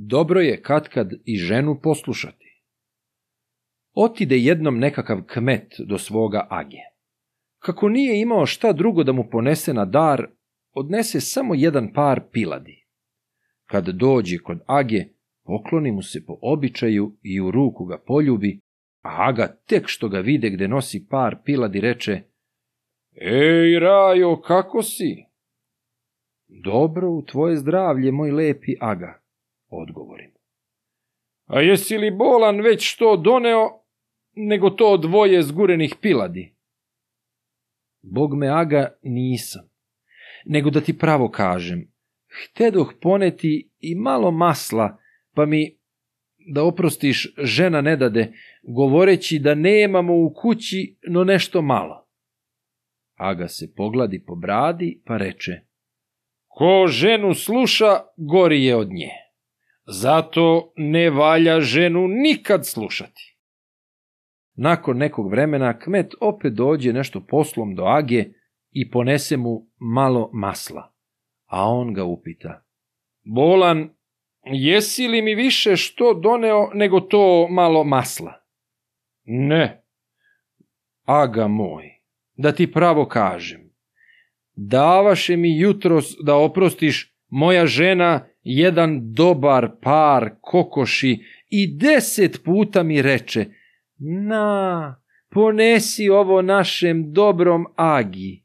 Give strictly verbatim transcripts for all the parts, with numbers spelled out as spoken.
dobro je katkad i ženu poslušati. Otide jednom nekakav kmet do svoga age. Kako nije imao šta drugo da mu ponese na dar, odnese samo jedan par piladi. Kad dođe kod age, pokloni mu se po običaju i u ruku ga poljubi, a aga tek što ga vide gde nosi par piladi reče: Ej, Rajo, kako si? Dobro, u tvoje zdravlje, moj lepi aga, odgovorim. A jesi li bolan već što doneo, nego to dvoje zgurenih piladi? Bog me, aga, nisam, nego da ti pravo kažem, htedoh poneti i malo masla, pa mi, da oprostiš, žena ne dade, govoreći da nemamo u kući no nešto malo. Aga se pogladi po bradi, pa reče: Ko ženu sluša, gori je od nje. Zato ne valja ženu nikad slušati. Nakon nekog vremena kmet opet dođe nešto poslom do age i ponese mu malo masla, a on ga upita: Bolan, jesi li mi više što doneo nego to malo masla? Ne. Aga moj, da ti pravo kažem, davaše mi jutros, da oprostiš, moja žena jedan dobar par kokoši i deset puta mi reče: Na, ponesi ovo našem dobrom agi.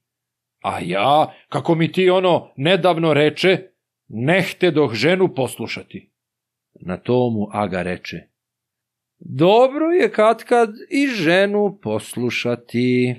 A ja, kako mi ti ono nedavno reče, ne htedoh ženu poslušati. Na to mu aga reče: Dobro je katkad i ženu poslušati.